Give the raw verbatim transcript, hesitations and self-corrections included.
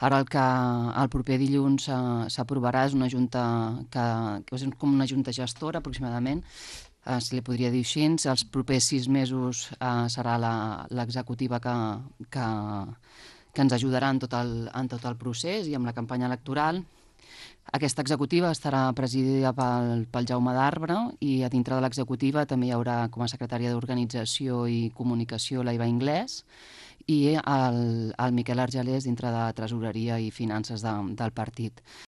Ara el que el proper dilluns eh, s'aprovarà és una junta que, que és com una junta gestora aproximadament, eh, si li podria dir així. Els propers sis mesos eh, serà la- l'executiva que, que, que ens ajudarà en tot, el, en tot el procés i amb la campanya electoral. Aquesta executiva estarà presidida pel, pel Jaume d'Arbre i a dintre de l'executiva també hi haurà com a secretària d'Organització i Comunicació la Iva Inglès i el, el Miquel Argelers dintre de Tresoreria i Finances de, del partit.